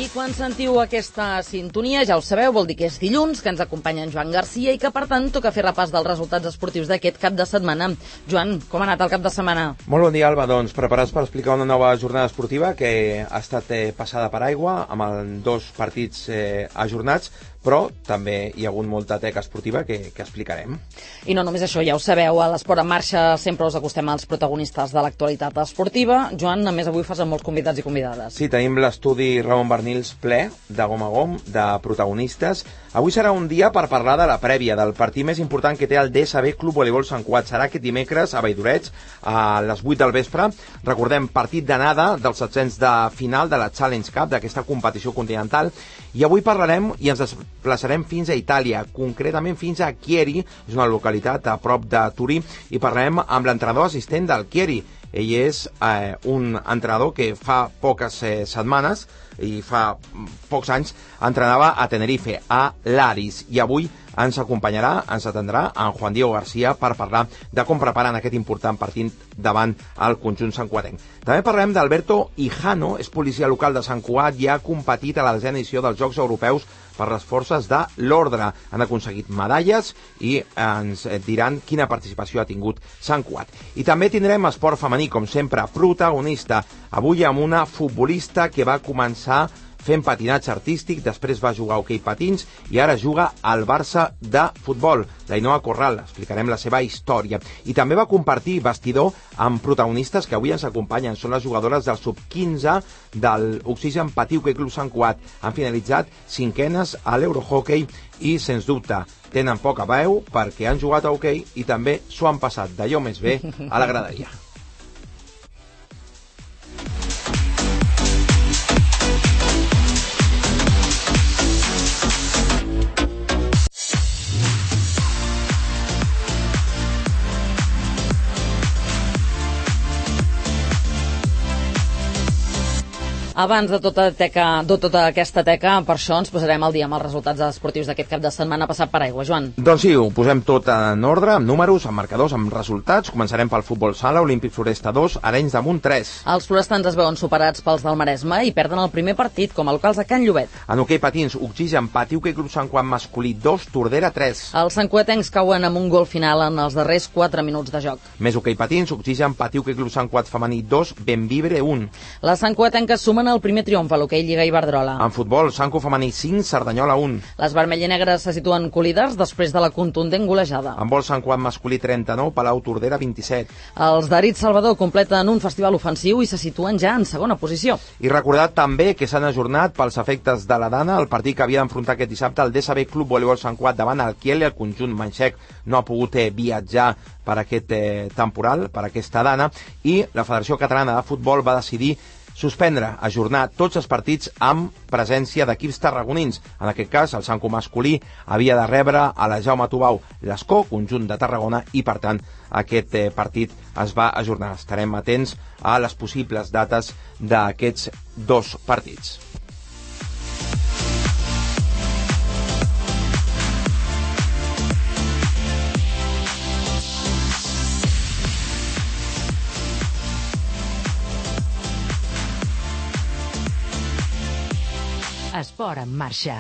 I quan sentiu aquesta sintonia, ja ho sabeu, vol dir que és dilluns, que ens acompanya en Joan Garcia i que, per tant, toca fer repàs dels resultats esportius d'aquest cap de setmana. Joan, com ha anat el cap de setmana? Molt bon dia, Alba. Doncs preparats per explicar una nova jornada esportiva que ha estat passada per aigua, amb 2 partits ajornats, però també hi ha hagut molta teca esportiva que explicarem. I no només això, ja ho sabeu, a l'Esport en Marxa sempre us acostem als protagonistes de l'actualitat esportiva. Joan, a més avui fas amb molts convidats i convidades. Sí, tenim l'estudi Ramon Barnils ple, de gom a gom, de protagonistes. Avui serà un dia per parlar de la prèvia, del partit més important que té el DSB Club Voleibol Sant Cugat. Serà aquest dimecres a Valldoreix, a les 8 del vespre. Recordem, partit d'anada dels 700 de final de la Challenge Cup, d'aquesta competició continental. I avui parlarem i ens desplaçarem fins a Itàlia, concretament fins a Chieri, és una localitat a prop de Turí, i parlarem amb l'entrenador assistent del Chieri. Ell és un entrenador que fa poques setmanes i fa pocs anys entrenava a Tenerife, a l'Aris, i avui ens acompanyarà, ens atendrà en Juan Diego García per parlar de com preparen aquest important partit davant el conjunt santcugatenc. També parlarem d'Alberto Hijano, és policia local de Sant Cugat i ha competit a la 10ª edició dels Jocs Europeus per les forces de l'ordre. Han aconseguit medalles i ens diran quina participació ha tingut Sant Cugat. I també tindrem esport femení, com sempre, protagonista. Avui amb una futbolista que va començar fent patinatge artístic, després va jugar a hoquei patins i ara juga al Barça de futbol, l'Ainoa Corral. Explicarem la seva història. I també va compartir vestidor amb protagonistes que avui ens acompanyen. Són les jugadores del sub-15 del Oxigen Patí Hoquei Club Sant Cugat. Han finalitzat 5enes a l'Eurohockey i, sens dubte, tenen poca veu perquè han jugat a hoquei i també s'ho han passat d'allò més bé a la graderia. Abans de tota aquesta teca, per això ens posarem al dia amb els resultats esportius d'aquest cap de setmana passat per aigua. Joan. Doncs sí, ho posem tot en ordre, amb números, amb marcadors, amb resultats. Començarem pel futbol sala, Olímpic Floresta 2, Arenys de Munt 3. Els florestans es veuen superats pels del Maresme i perden el primer partit com a locals a Can Llobet. En hoquei patins, Oxigen Patí Hoquei Club Sant Cugat masculí 2, Tordera 3. Els santcugatencs cauen amb un gol final en els darrers 4 minuts de joc. Més hoquei patins, Oxigen Patí Hoquei Club Sant Cugat femení 2, Benvibre 1. Les santcugatenques sumen el primer triomf a l'hoquei Lliga Iberdrola. En futbol, Sanco femení 5, Cerdanyola 1. Les vermell i negres se situen colíders després de la contundent golejada. En vol Sant Cugat masculí 39, Palau Tordera 27. Els d'Arit Salvador completen un festival ofensiu i se situen ja en segona posició. I recordar també que s'han ajornat pels efectes de la Dana el partit que havia d'enfrontar aquest dissabte el DSB Club Voleibol Sant Cugat davant el Kiel i el conjunt manxec no ha pogut viatjar per aquest temporal, per aquesta Dana, i la Federació Catalana de Futbol va decidir suspendre, ajornar tots els partits amb presència d'equips tarragonins. En aquest cas, el Sanco masculí havia de rebre a la Jaume Tubau l'Escó, conjunt de Tarragona, i per tant aquest partit es va ajornar. Estarem atents a les possibles dates d'aquests 2 partits. Esport en Marxa.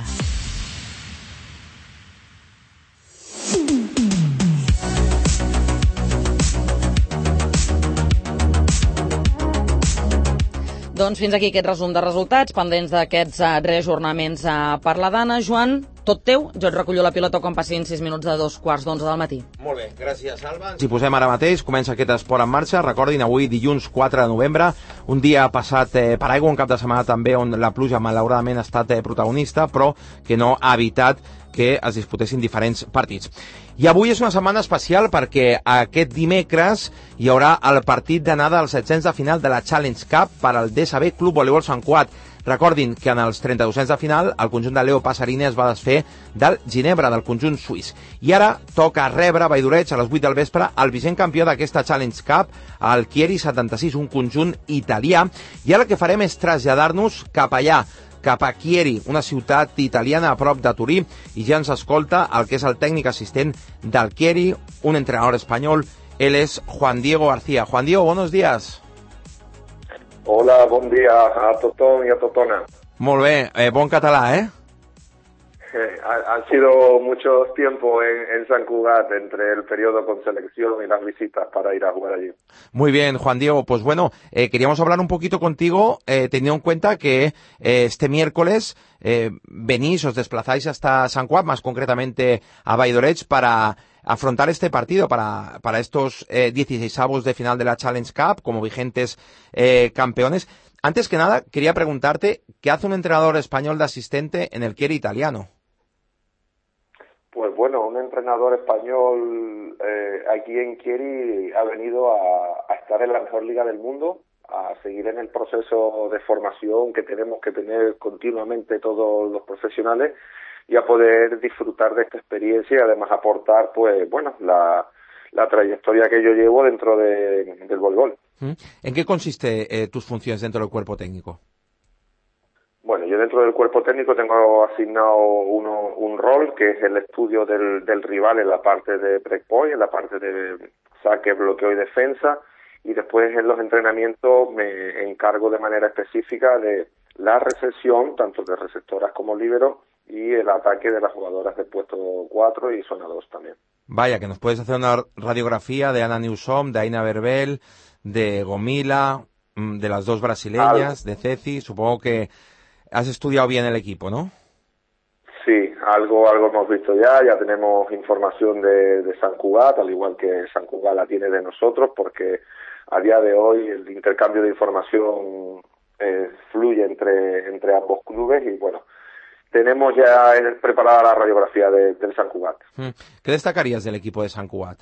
Doncs fins aquí aquest resum de resultats, pendents d'aquests reajornaments per la Dana. Joan, tot teu, jo et recullo la pilota quan passin 6 minuts de 2:15 del matí. Molt bé, gràcies, Alba. Si posem ara mateix, comença aquest esport en marxa. Recordin, avui dilluns 4 de novembre, un dia passat per aigua, un cap de setmana també on la pluja malauradament ha estat protagonista, però que no ha evitat que es disputessin diferents partits. I avui és una setmana especial perquè aquest dimecres hi haurà el partit d'anada als 700 de final de la Challenge Cup per al DSB Club Voleibol Sant Cugat. Recordin que en els 3200 de final el conjunt de Leo Passarini es va desfer del Ginebra, del conjunt suís. I ara toca rebre a Valldoreix a les 8 del vespre el vigent campió d'aquesta Challenge Cup, el Chieri 76, un conjunt italià. I ara el que farem és traslladar-nos cap allà, cap a Chieri, una ciutat italiana a prop de Turí, i ja ens escolta el que és el tècnic assistent del Chieri, un entrenador espanyol. Él es Juan Diego García. Juan Diego, buenos días. Hola, bon dia a tothom i a totona. Molt bé, bon català, ¿eh? Han sido muchos tiempos en San Cugat entre el periodo con selección y las visitas para ir a jugar allí. Muy bien, Juan Diego. Pues bueno, queríamos hablar un poquito contigo, teniendo en cuenta que este miércoles venís, os desplazáis hasta San Cugat, más concretamente a Valldoreix, para afrontar este partido, para estos 16avos de final de la Challenge Cup, como vigentes campeones. Antes que nada, quería preguntarte, ¿qué hace un entrenador español de asistente en el Chieri italiano? Pues bueno, un entrenador español aquí en Chieri ha venido a estar en la mejor liga del mundo, a seguir en el proceso de formación que tenemos que tener continuamente todos los profesionales y a poder disfrutar de esta experiencia y además aportar, pues bueno, la trayectoria que yo llevo dentro del voleibol. ¿En qué consiste tus funciones dentro del cuerpo técnico? Bueno, yo dentro del cuerpo técnico tengo asignado un rol que es el estudio del rival en la parte de breakpoint, en la parte de saque, bloqueo y defensa, y después en los entrenamientos me encargo de manera específica de la recepción, tanto de receptoras como líberos, y el ataque de las jugadoras de puesto 4 y zona 2 también. Vaya, que nos puedes hacer una radiografía de Ana Newsom, de Aina Verbel, de Gomila, de las dos brasileñas, de Ceci. Supongo que has estudiado bien el equipo, ¿no? Sí, algo hemos visto ya tenemos información de San Cugat, al igual que San Cugat la tiene de nosotros, porque a día de hoy el intercambio de información fluye entre ambos clubes y bueno, tenemos ya preparada la radiografía del San Cugat. ¿Qué destacarías del equipo de San Cugat?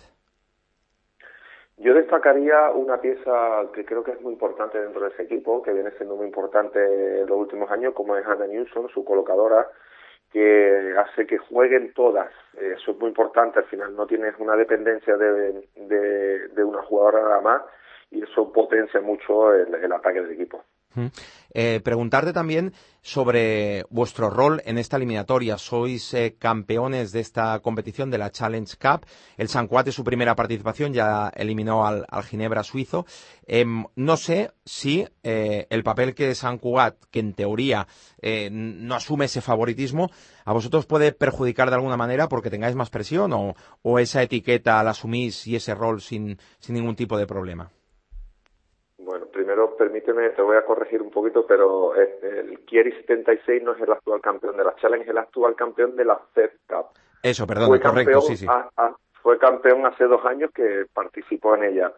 Yo destacaría una pieza que creo que es muy importante dentro de ese equipo, que viene siendo muy importante en los últimos años, como es Anna Newsom, su colocadora, que hace que jueguen todas. Eso es muy importante, al final no tienes una dependencia de una jugadora nada más y eso potencia mucho el ataque del equipo. Preguntarte también sobre vuestro rol en esta eliminatoria. Sois campeones de esta competición, de la Challenge Cup. El San Cugat es su primera participación, ya eliminó al Ginebra suizo. No sé si el papel que San Cugat, que en teoría no asume ese favoritismo, a vosotros puede perjudicar de alguna manera porque tengáis más presión o esa etiqueta la asumís y ese rol sin ningún tipo de problema. Bueno, primero permíteme, te voy a corregir un poquito, pero el Chieri 76 no es el actual campeón de la Challenge, es el actual campeón de la Fed Cup. Eso, perdón, correcto, sí. Fue campeón hace 2 años que participó en ella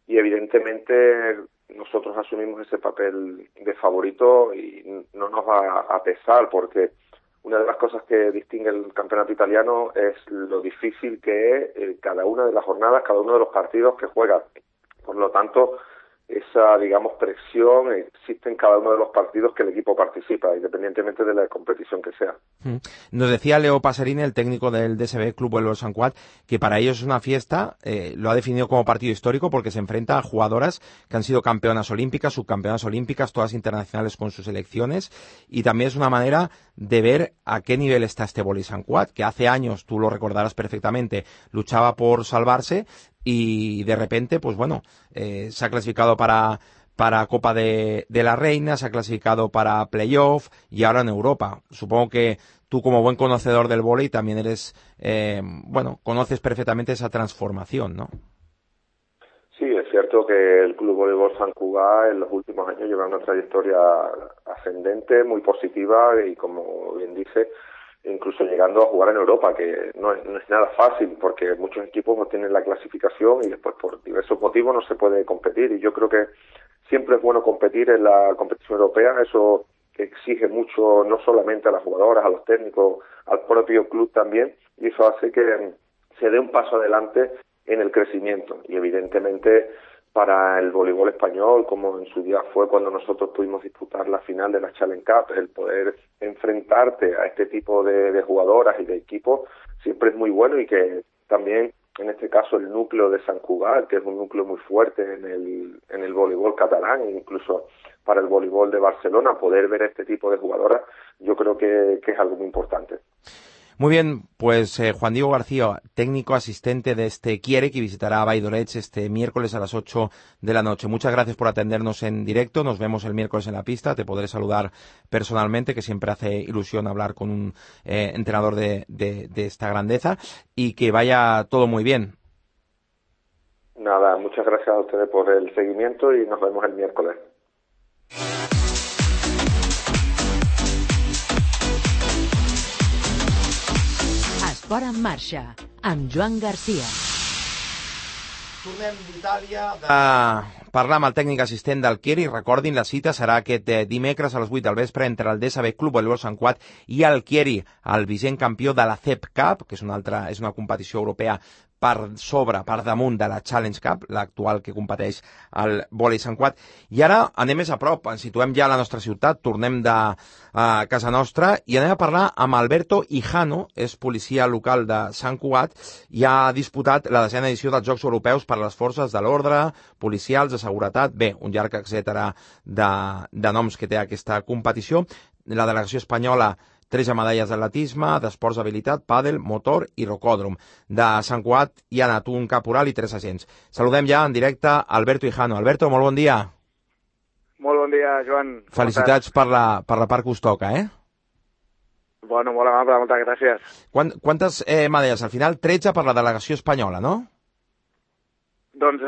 y evidentemente nosotros asumimos ese papel de favorito y no nos va a pesar porque una de las cosas que distingue el campeonato italiano es lo difícil que es cada una de las jornadas, cada uno de los partidos que juega. Por lo tanto, esa, digamos, presión existe en cada uno de los partidos que el equipo participa, independientemente de la competición que sea. Nos decía Leo Paserini, el técnico del DSB Club Voleibol San Cugat, que para ellos es una fiesta, lo ha definido como partido histórico porque se enfrenta a jugadoras que han sido campeonas olímpicas, subcampeonas olímpicas, todas internacionales con sus selecciones, y también es una manera de ver a qué nivel está este Voleibol San Cugat, que hace años, tú lo recordarás perfectamente, luchaba por salvarse y de repente, pues bueno, se ha clasificado para Copa de la Reina, se ha clasificado para Playoff y ahora en Europa. Supongo que tú, como buen conocedor del vóley, también eres, conoces perfectamente esa transformación, ¿no? Sí, es cierto que el Club Voleibol San Cugat en los últimos años lleva una trayectoria ascendente, muy positiva y, como bien dice, incluso llegando a jugar en Europa, que no es nada fácil porque muchos equipos no tienen la clasificación y después por diversos motivos no se puede competir y yo creo que siempre es bueno competir en la competición europea, eso exige mucho no solamente a las jugadoras, a los técnicos, al propio club también y eso hace que se dé un paso adelante en el crecimiento y evidentemente para el voleibol español, como en su día fue cuando nosotros pudimos disputar la final de la Challenge Cup, el poder enfrentarte a este tipo de jugadoras y de equipos siempre es muy bueno y que también, en este caso, el núcleo de San Cugat, que es un núcleo muy fuerte en el voleibol catalán, e incluso para el voleibol de Barcelona, poder ver este tipo de jugadoras, yo creo que es algo muy importante. Muy bien, pues Juan Diego García, técnico asistente de este Quiere, que visitará a Valldoreig este miércoles a las 8 de la noche. Muchas gracias por atendernos en directo. Nos vemos el miércoles en la pista. Te podré saludar personalmente, que siempre hace ilusión hablar con un entrenador de esta grandeza, y que vaya todo muy bien. Nada, muchas gracias a ustedes por el seguimiento y nos vemos el miércoles. Esport en marxa, amb Joan Garcia. Tornem d'Itàlia de parlar amb el tècnic assistent del Chieri. Recordin, la cita serà aquest dimecres a les 8 del vespre entre el DSB Club Voleibol Sant Cugat i el Chieri, el vigent campió de la CEP Cup, que és una competició europea per damunt de la Challenge Cup, l'actual que competeix al vòlei Sant Cugat. I ara anem més a prop, ens situem ja a la nostra ciutat, tornem de casa nostra i anem a parlar amb Alberto Hijano, és policia local de Sant Cugat i ha disputat la 10ª edició dels Jocs Europeus per a les forces de l'ordre, policials, de seguretat, bé, un llarg etcètera de noms que té aquesta competició. La delegació espanyola, 13 medalles d'atletisme, d'esports d'habilitat, pàdel, motor i rocòdrom. De Sant Cugat hi ha anat un caporal i 3 agents. Saludem ja en directe Alberto Hijano. Alberto, molt bon dia. Molt bon dia, Joan. Felicitats per la part que us toca, eh? Bueno, molt amable, moltes gràcies. Quantes medalles? Al final 13 per la delegació espanyola, no? Doncs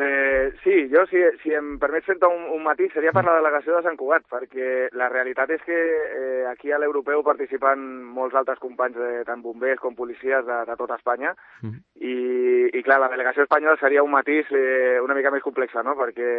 sí, jo si em permets fer un matís seria per la delegació de Sant Cugat, perquè la realitat és que aquí a l'europeu participen molts altres companys, tant bombers com policies de tota Espanya, i clar, la delegació espanyola seria un matís una mica més complexa, no? Perquè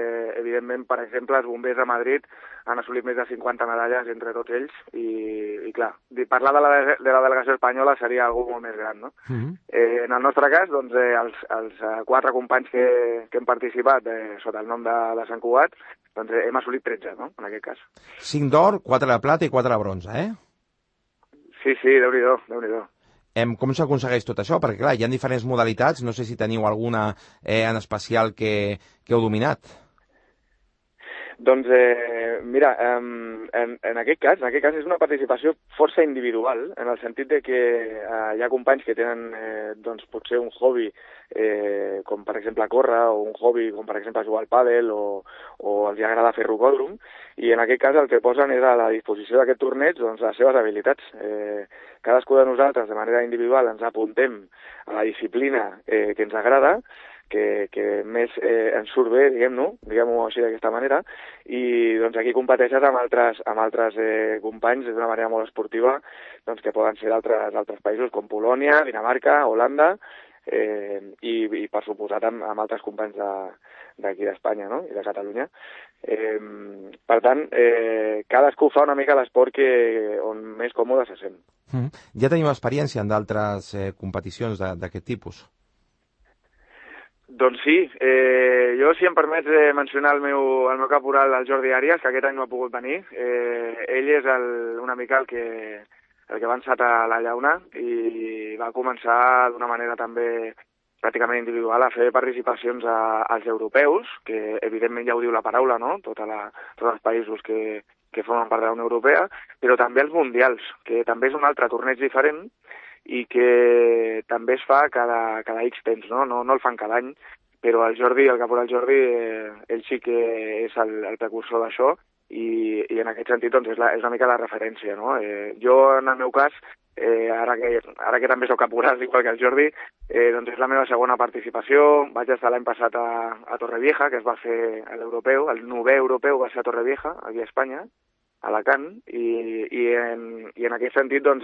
evidentment, per exemple, els bombers de Madrid han assolit més de 50 medalles entre tots ells, i clar, parlar de la delegació espanyola seria algú molt més gran, no? En el nostre cas, doncs, els 4 companys que hem participat sota el nom de Sant Cugat, doncs hem assolit 13, no?, en aquest cas. 5 d'or, 4 de plata i 4 de bronze, eh? Sí, Déu-n'hi-do, Déu-n'hi-do. Com s'aconsegueix tot això? Perquè, clar, hi ha diferents modalitats, no sé si teniu alguna en especial que heu dominat. Doncs, mira, en aquest cas és una participació força individual, en el sentit de que hi ha companys que tenen, doncs, potser un hobby, com per exemple córrer, o un hobby com per exemple jugar al pàdel, o els agrada fer rocòdrom, i en aquest cas el que posen és a la disposició d'aquest torneig, doncs, les seves habilitats. Cadascú de nosaltres, de manera individual, ens apuntem a la disciplina que ens agrada, que més ens surt bé, diguem-ho així d'aquesta manera, i doncs aquí competeixes amb altres companys d'una manera molt esportiva, doncs que poden ser d'altres països com Polònia, Dinamarca, Holanda, i per suposat amb altres companys d'aquí d'Espanya, no?, i de Catalunya. Per tant, cadascú fa una mica l'esport on més còmode se sent. Ja teniu experiència en d'altres competicions d'aquest tipus? Doncs sí, jo, si em permets mencionar el meu caporal, el Jordi Arias, que aquest any no ha pogut venir. Ell és una mica el que va encetar la llauna i va començar d'una manera també pràcticament individual a fer participacions als europeus, que evidentment ja ho diu la paraula, no?, tots els països que formen part de la Unió Europea, però també els mundials, que també és un altre torneig diferent, i que també es fa cada X temps, no el fan cada any, però el caporal Jordi, ell sí que és el precursor d'això, i en aquest sentit doncs, és una mica la referència, no? Jo, en el meu cas, ara que també soc caporal, igual que el Jordi, doncs és la meva segona participació. Vaig estar l'any passat a Torrevieja, que es va fer a l'europeu, el 9è europeu va ser a Torrevieja, aquí a Espanya, a Alacant, i en aquest sentit doncs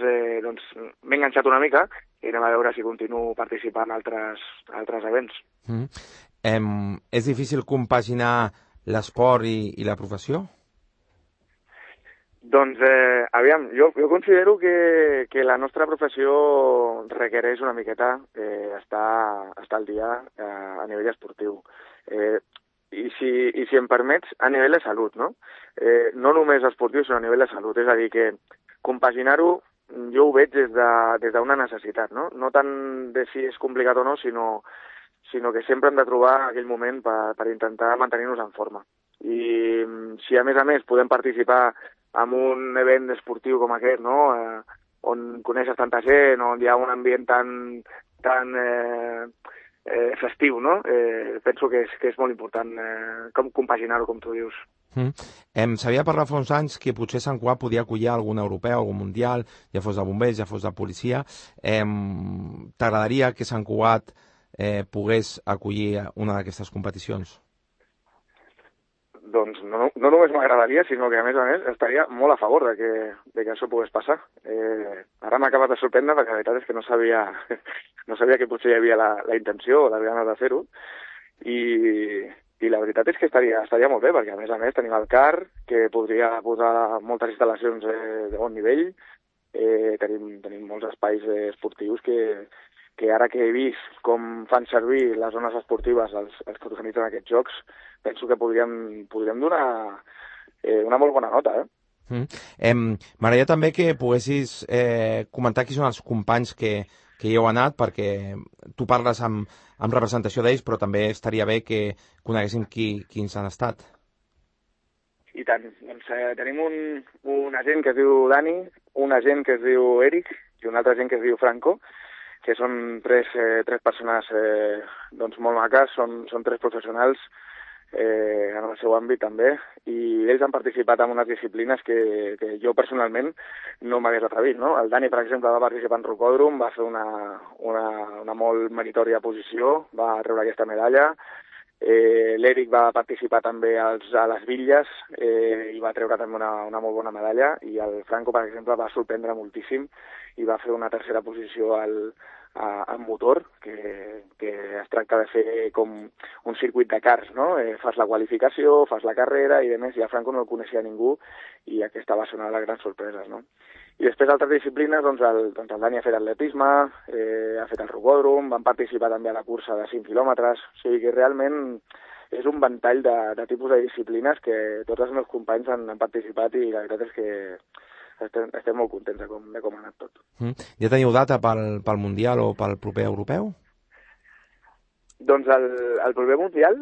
m'he enganxat una mica i anem a veure si continuo participant en altres events. És difícil compaginar l'esport i la professió? Doncs, aviam, jo considero que la nostra professió requereix una miqueta estar al dia a nivell esportiu. I si em permets, a nivell de salut, no? No només esportiu, sinó a nivell de salut. És a dir, que compaginar-ho jo ho veig des d'una necessitat, no? No tant de si és complicat o no, sinó que sempre hem de trobar aquell moment per intentar mantenir-nos en forma. I si a més podem participar en un event esportiu com aquest, no?, on coneixes tanta gent, on hi ha un ambient tan festiu, no? Penso que és molt important com compaginar-ho, com tu dius. S'havia parlat fa uns anys que potser Sant Cugat podia acollir algun europeu, algun mundial, ja fos de bombers, ja fos de policia. T'agradaria que Sant Cugat pogués acollir una d'aquestes competicions? Doncs no només m'agradaria, sinó que a més estaria molt a favor de que això pogués passar. Ara m'acabes de sorprendre perquè la veritat és que no sabia que potser hi havia la intenció o les ganes de fer-ho i la veritat és que estaria molt bé perquè a més tenim el CAR que podria posar moltes instal·lacions de bon nivell, tenim molts espais esportius que ara que he vist com fan servir les zones esportives els que organitzen aquests jocs, penso que podríem donar una molt bona nota. M'agradaria també que poguessis comentar qui són els companys que hi heu anat, perquè tu parles amb representació d'ells, però també estaria bé que coneguéssim quins han estat. I tant. Doncs tenim un agent que es diu Dani, un agent que es diu Eric i un altre agent que es diu Franco, que són tres persones molt maques, són tres professionals en el seu àmbit també, i ells han participat en unes disciplines que jo personalment no m'hagués atrevit, no? El Dani, per exemple, va participar en rocòdrom, va fer una molt meritòria posició, va treure aquesta medalla. L'Eric va participar també a les bitlles i va treure també una molt bona medalla, i el Franco, per exemple, va sorprendre moltíssim i va fer una tercera posició en motor, que es tracta de fer com un circuit de cars, no? Fas la qualificació, fas la carrera i demés, i el Franco no el coneixia ningú i aquesta va ser una de les grans sorpreses, no? I després altres disciplines, el Dani ha fet atletisme, ha fet el rocòdrom, van participar també a la cursa de 5 quilòmetres, o sigui que realment és un ventall de tipus de disciplines que tots els meus companys han participat i la veritat és que estem molt contents de com ha anat tot. Ja teniu data pel Mundial o pel proper europeu? Doncs el proper Mundial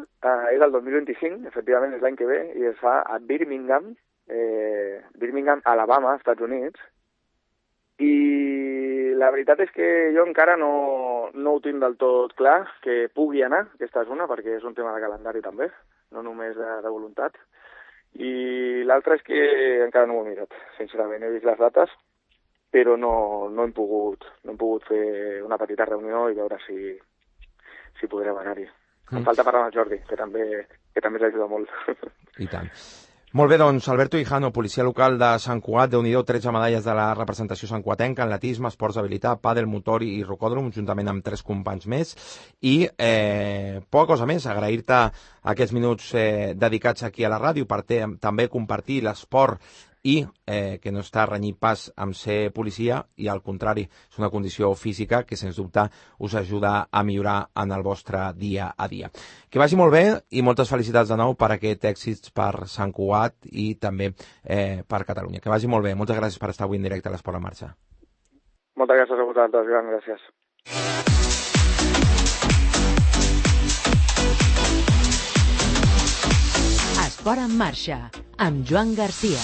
és el 2025, efectivament és l'any que ve, i es fa a Birmingham, Alabama, Estats Units, i la veritat és que jo encara no ho tinc del tot clar que pugui anar, aquesta és una, perquè és un tema de calendari també, no només de voluntat. I l'altre és que encara no ho he mirat, sincerament, he vist les dates, però no hem pogut fer una petita reunió i veure si podrem anar-hi. Em falta parlar amb el Jordi, que també l'ajuda molt. I tant. Molt bé, doncs, Alberto Hijano, policia local de Sant Cugat, Déu-n'hi-do, 13 medalles de la representació santcuatenca en atletisme, esports d'habilitat, pàdel, motor i rocòdrom, juntament amb 3 companys més. I poca cosa més, agrair-te aquests minuts dedicats aquí a la ràdio per també compartir l'esport i que no està renyit pas amb ser policia, i al contrari, és una condició física que sens dubte us ajuda a millorar en el vostre dia a dia. Que vagi molt bé i moltes felicitats de nou per aquest èxit per Sant Cugat i també per Catalunya. Que vagi molt bé. Moltes gràcies per estar avui en directe a l'Esport en Marxa. Moltes gràcies a vosaltres, gràcies. Esport en Marxa, amb Joan Garcia.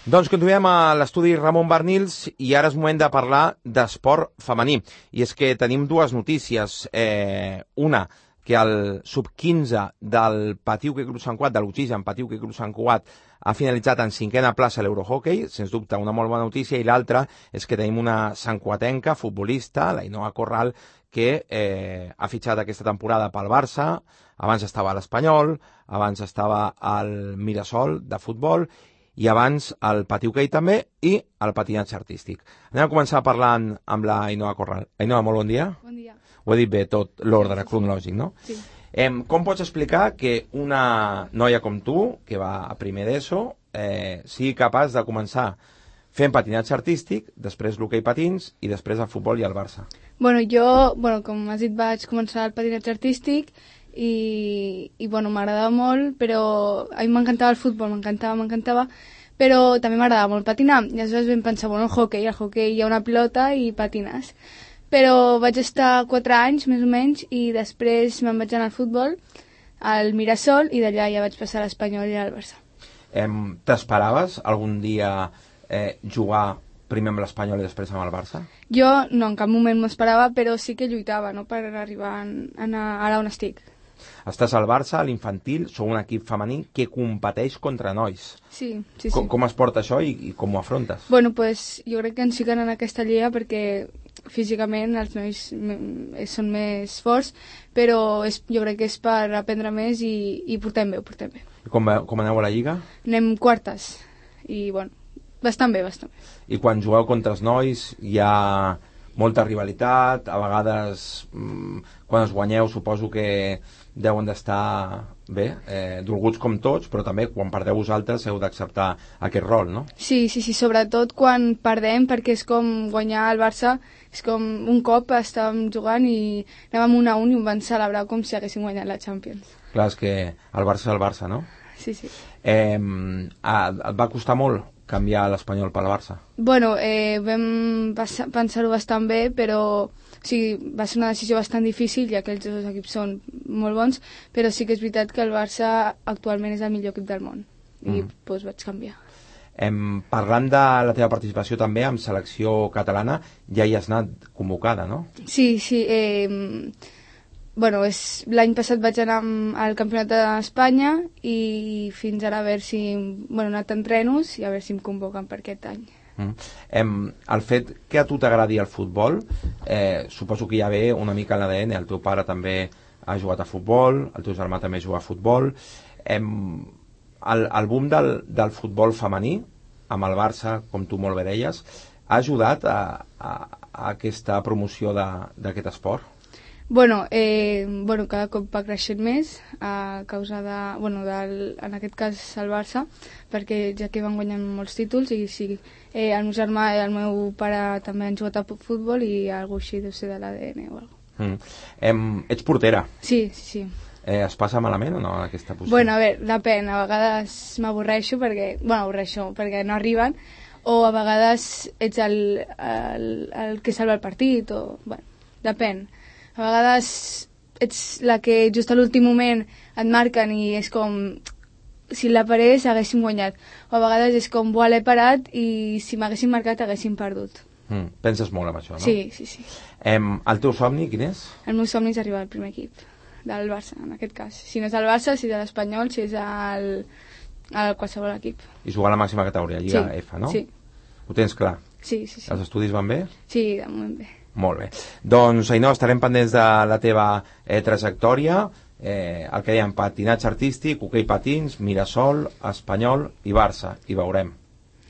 Doncs continuem a l'estudi Ramon Barnils i ara és moment de parlar d'esport femení. I és que tenim dues notícies. Una, que el sub-15 del Patiu Hoquei Club Sant Cugat, de l'Oxigen Patiu Hoquei Club Sant Cugat, ha finalitzat en 5a plaça a l'Eurohockey, sens dubte una molt bona notícia, i l'altra és que tenim una santcuatenca futbolista, l'Ainoa Corral, que ha fitxat aquesta temporada pel Barça, abans estava a l'Espanyol, abans estava al Mirasol de futbol, i abans el Patiu Hoquei també, i el patinatge artístic. Anem a començar parlant amb la Ainoa Corral. Ainoa, molt bon dia. Bon dia. Ho he dit bé tot l'ordre cronològic, no? Sí. Com pots explicar que una noia com tu, que va a primer d'ESO, sigui capaç de començar fent patinatge artístic, després l'hoquei patins i després el futbol i el Barça? Jo, com has dit, vaig començar el patinatge artístic i m'agradava molt, però a mi m'encantava el futbol, m'encantava, però també m'agradava molt patinar. I aleshores vam pensar, el hoquei hi ha una pilota i patines. Però vaig estar 4 anys, més o menys, i després me'n vaig anar al futbol, al Mirasol, i d'allà ja vaig passar a l'Espanyol i al Barça. T'esperaves algun dia jugar primer amb l'Espanyol i després amb el Barça? Jo no, en cap moment m'ho esperava, però sí que lluitava, no?, per arribar a anar ara on estic. Estàs al Barça, a l'infantil, sou un equip femení que competeix contra nois. Sí. Com es porta això i com ho afrontes? Bueno, pues jo crec que ens fiquen en aquesta lliga perquè físicament els nois són més forts, però jo crec que és per aprendre més i portem bé. I com aneu a la lliga? Anem quartes i, bueno, bastant bé. I quan jugueu contra els nois hi ha molta rivalitat, a vegades quan es guanyeu suposo que deuen d'estar bé, dolguts com tots, però també quan perdeu vosaltres heu d'acceptar aquest rol, no? Sí, sobretot quan perdem, perquè és com guanyar el Barça, és com un cop estàvem jugant i anàvem 1-1 i ho van celebrar com si haguéssim guanyat la Champions. Clar, és que el Barça és el Barça, no? Sí. Et va costar molt canviar l'Espanyol pel Barça? Bueno, vam pensar-ho bastant bé, però va ser una decisió bastant difícil, ja que els dos equips són molt bons, però sí que és veritat que el Barça actualment és el millor equip del món, i doncs vaig canviar. Parlant de la teva participació també amb selecció catalana, ja hi has anat convocada, no? Sí. Bueno, l'any passat vaig anar al Campionat d'Espanya i fins ara a veure si... Bueno, he anat a entrenos i a veure si em convoquen per aquest any. El fet que a tu t'agradi el futbol, suposo que ja ve una mica en l'ADN. El teu pare també ha jugat a futbol, el teu germà també juga a futbol. El boom del futbol femení, amb el Barça, com tu molt bé deies, ha ajudat a aquesta promoció d'aquest esport? Bueno, cada cop va creixent més a causa en aquest cas el Barça, perquè ja que van guanyant molts títols i sí, el meu germà i el meu pare també han jugat a futbol i alguna així deu ser de l'ADN o alguna cosa. Ets portera? Sí. Es passa malament o no aquesta posició? Bueno, a veure, depèn, a vegades m'avorreixo perquè no arriben, o a vegades ets el que salva el partit, o... Bueno, depèn. A vegades ets la que just a l'últim moment et marquen i és com si la parés haguéssim guanyat. O a vegades és com, l'he parat i si m'haguessin marcat haguéssim perdut. Penses molt en això, no? Sí. El teu somni quin és? El meu somni és arribar al primer equip del Barça, en aquest cas. Si no és el Barça, si és l'Espanyol, si és el qualsevol equip. I jugar a la màxima categoria, Lliga F, no? Sí. Ho tens clar? Sí. Els estudis van bé? Sí, de moment bé. Molt bé. Doncs, Ainhoa, estarem pendents de la teva trajectòria, el que dèiem, patinatge artístic, hoquei patins, Mirasol, Espanyol i Barça. I veurem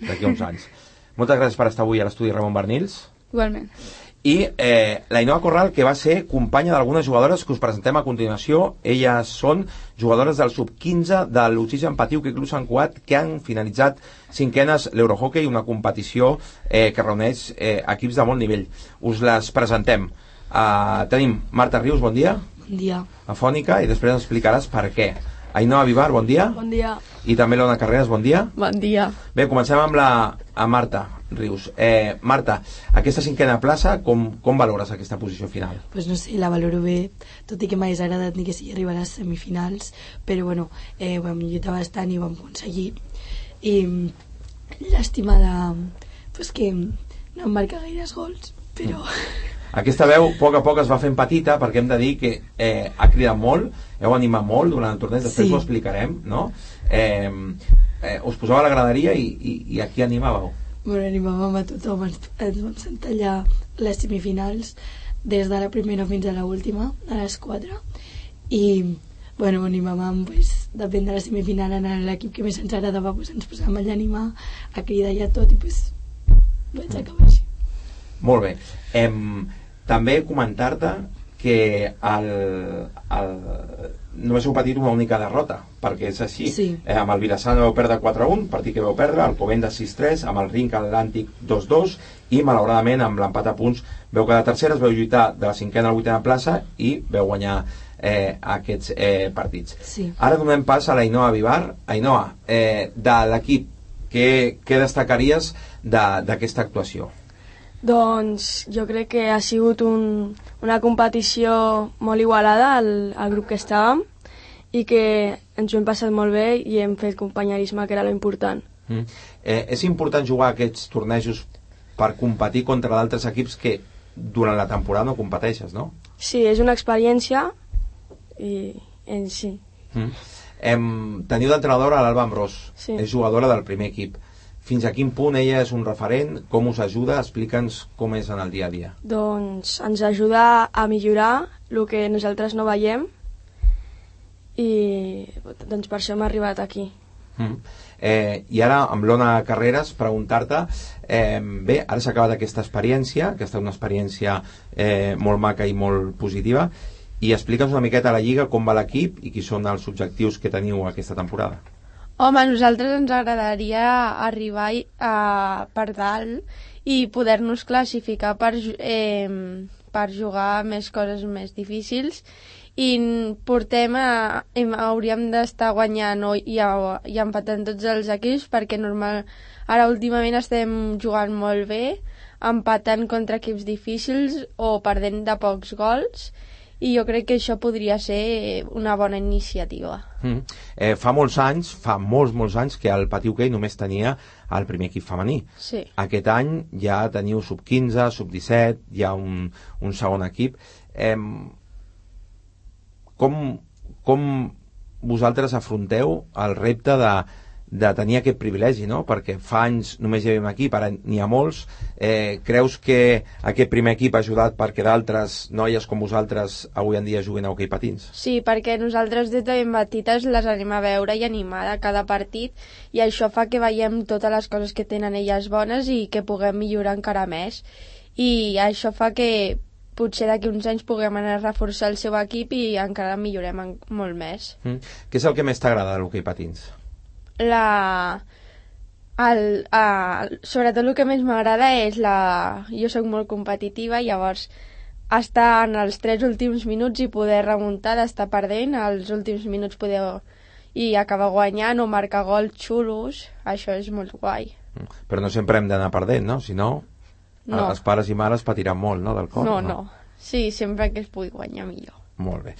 d'aquí a uns anys. Moltes gràcies per estar avui a l'estudi Ramon Barnils. Igualment. I l'Ainhoa Corral, que va ser companya d'algunes jugadores que us presentem a continuació. Elles són jugadores del sub-15 de l'Oxigen Patiuc i Club Sant Cugat, que han finalitzat cinquenes l'Eurohockey, una competició que reuneix equips de molt nivell. Us les presentem. Tenim Marta Rius, bon dia. Bon dia. Afònica, i després ens explicaràs per què. Ainhoa Vivar, bon dia. Bon dia. I també l'Ona Carreras, bon dia. Bon dia. Bé, comencem amb Marta Rius. Marta, aquesta cinquena plaça, com valores aquesta posició final? Pues no sé, la valoro bé, tot i que m'hagués agradat ni que sigui arribar a les semifinals, però bueno, vam lluitar bastant i vam aconseguir. I llàstima pues que no em marca gaires gols, però... Aquesta veu a poc es va fent petita, perquè hem de dir que ha cridat molt, heu animat molt durant el torneig, després ho explicarem, no? Us posava a la graderia i a qui animàveu? Bueno, animàvem a tothom, ens vam sentar allà les semifinals des de la primera fins a l'última, a les 4, i bueno, animàvem, pues, depèn de la semifinal, en l'equip que més ens agradava, pues, ens posàvem allà a animar, a cridar i a tot, i pues, vaig acabar així. Molt bé. També comentar-te que només heu patit una única derrota, perquè és així. Sí. Amb el Vilassana vau perdre 4-1, partit que vau perdre, el Covendes 6-3, amb el Rinc Atlàntic 2-2, i malauradament amb l'empat a punts veu quedar terceres, veu lluitar de la cinquena a la vuitena plaça i veu guanyar aquests partits. Sí. Ara donem pas a l'Ainhoa Vivar. Ainhoa, de l'equip, què destacaries d'aquesta actuació? Doncs jo crec que ha sigut una competició molt igualada al grup que estàvem i que ens ho hem passat molt bé i hem fet companyerisme, que era l'important. És important jugar aquests tornejos per competir contra d'altres equips que durant la temporada no competeixes, no? Sí, és una experiència i sí. Teniu d'entrenadora l'Alba Ambrós, sí. És jugadora del primer equip. Fins a quin punt ella és un referent? Com us ajuda? Explica'ns com és en el dia a dia. Doncs ens ajuda a millorar el que nosaltres no veiem i doncs per això hem arribat aquí. I ara amb l'Ona Carreras preguntar-te bé, ara s'ha acabat aquesta experiència, que ha estat una experiència molt maca i molt positiva, i explica'ns una miqueta a la Lliga com va l'equip i quins són els objectius que teniu aquesta temporada. Home, a nosaltres ens agradaria arribar per dalt i poder-nos classificar per jugar més coses més difícils i hauríem d'estar guanyant i empatant tots els equips perquè ara últimament estem jugant molt bé, empatant contra equips difícils o perdent de pocs gols i jo crec que això podria ser una bona iniciativa. Fa molts anys que el Patí Hoquei només tenia el primer equip femení. Sí. Aquest any ja teniu sub-15, sub-17, hi ha un segon equip. Com vosaltres afronteu el repte de tenir aquest privilegi, no? Perquè fa anys només hi havia un equip, ara n'hi ha molts. Creus que aquest primer equip ha ajudat perquè d'altres noies com vosaltres avui en dia juguin a hoquei patins? Sí, perquè nosaltres des de ben petites les anem a veure i animar a cada partit i això fa que veiem totes les coses que tenen elles bones i que puguem millorar encara més. I això fa que potser d'aquí uns anys puguem anar a reforçar el seu equip i encara millorem molt més. Què és el que més t'agrada de l'hoquei patins? Sobretot el que més m'agrada és jo sóc molt competitiva, llavors estar en els 3 últims minuts i poder remuntar, d'estar perdent als últims minuts i acabar guanyant o marcar gols xulos, això és molt guai. Però no sempre hem d'anar perdent, no? Si no, els pares i mares patiran molt, no, del cor? No. Sí, sempre que es pugui guanyar millor. Molt bé.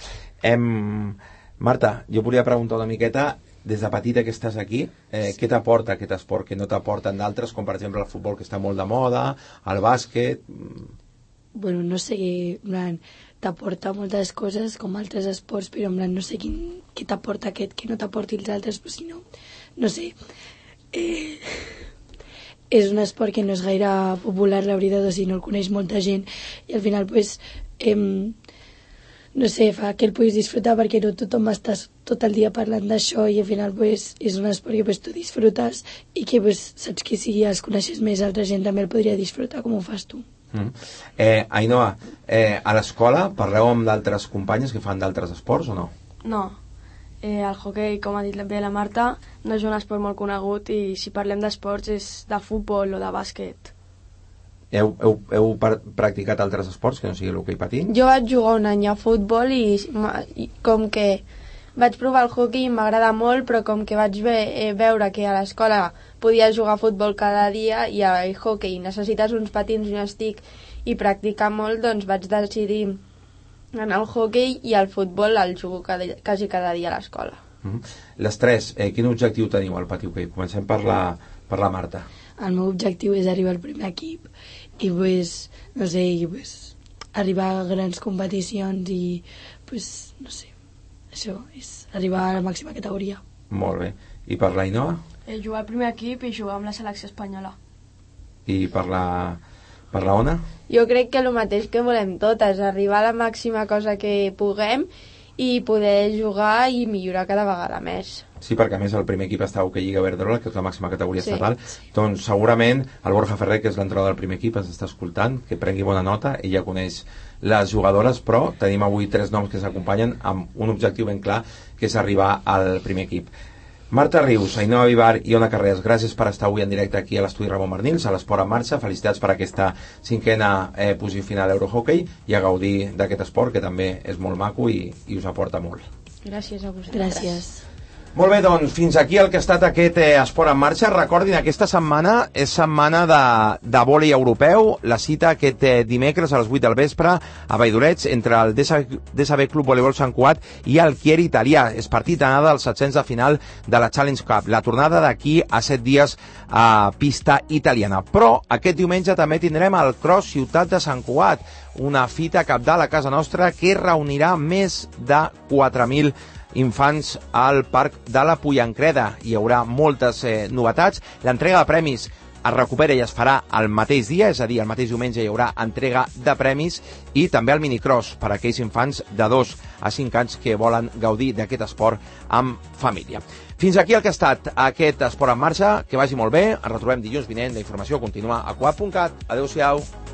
Marta, jo volia preguntar una miqueta, des de petita que estàs aquí, què t'aporta aquest esport que no t'aporten d'altres, com per exemple el futbol que està molt de moda, el bàsquet? Bueno, no sé, t'aporta moltes coses com altres esports, però en plan no sé què t'aporta aquest que no t'aporti els altres, però si no, no sé. És un esport que no és gaire popular, la veritat, o sigui, no el coneix molta gent i al final, pues, no sé, fa que el puguis disfrutar perquè no tothom està tot el dia parlant d'això i al final pues, és un esport que pues, tu disfrutes i que pues, saps que si els coneixes més altra gent també el podria disfrutar com ho fas tu. Ainhoa, a l'escola parleu amb d'altres companyes que fan d'altres esports o no? No, el hoquei, com ha dit bé la Marta, no és un esport molt conegut i si parlem d'esports és de futbol o de bàsquet. Heu practicat altres esports que no sigui l'hoquei patins? Jo vaig jugar un any a futbol i com que vaig provar el hoquei i m'agrada molt, però com que vaig veure que a l'escola podia jugar a futbol cada dia i a hoquei necessites uns patins i un estic i practicar molt, doncs vaig decidir anar al hoquei i al futbol el jugo quasi cada dia a l'escola. Les tres, quin objectiu teniu al Patí Hoquei? Comencem per la Marta. El meu objectiu és arribar al primer equip i pues, no sé, arribar a grans competicions i pues, no sé, això és arribar a la màxima categoria. Molt bé. I per l'Ainhoa? Jugar al primer equip i jugar amb la selecció espanyola. I per la Ona? Jo crec que el mateix que volem totes, arribar a la màxima cosa que puguem i poder jugar i millorar cada vegada més. Sí, perquè a més el primer equip està a Hoquei Lliga Iberdrola, que és la màxima categoria estatal. Doncs segurament el Borja Ferrer, que és l'entrenador del primer equip, ens està escoltant, que prengui bona nota, ell ja coneix les jugadores, però tenim avui 3 noms que s'acompanyen amb un objectiu ben clar, que és arribar al primer equip. Marta Rius, Ainhoa Vivar i Ona Carreras, gràcies per estar avui en directe aquí a l'estudi Ramon Barnils, a l'Esport en Marxa. Felicitats per aquesta 5a posició final a Eurohockey i a gaudir d'aquest esport que també és molt maco i us aporta molt. Gràcies a vosaltres. Gràcies. Molt bé, doncs, fins aquí el que ha estat aquest Esport en Marxa. Recordin, aquesta setmana és setmana de vòlei europeu. La cita aquest dimecres a les 8 del vespre a Valldoreix entre el DSB Club Voleibol Sant Cugat i el Chieri italià. És partit d'anada als 700 de final de la Challenge Cup. La tornada d'aquí a 7 dies a pista italiana. Però aquest diumenge també tindrem el Cross Ciutat de Sant Cugat, una fita cabdal a casa nostra que reunirà més de 4.000 infants al Parc de la Pollancreda. Hi haurà moltes novetats. L'entrega de premis es recupera i es farà el mateix dia, és a dir, el mateix diumenge hi haurà entrega de premis i també el minicross per a aquells infants de 2 a 5 anys que volen gaudir d'aquest esport amb família. Fins aquí el que ha estat aquest Esport en Marxa. Que vagi molt bé. Ens retrobem dilluns vinent. La informació continua a cuap.cat. Adéu-siau.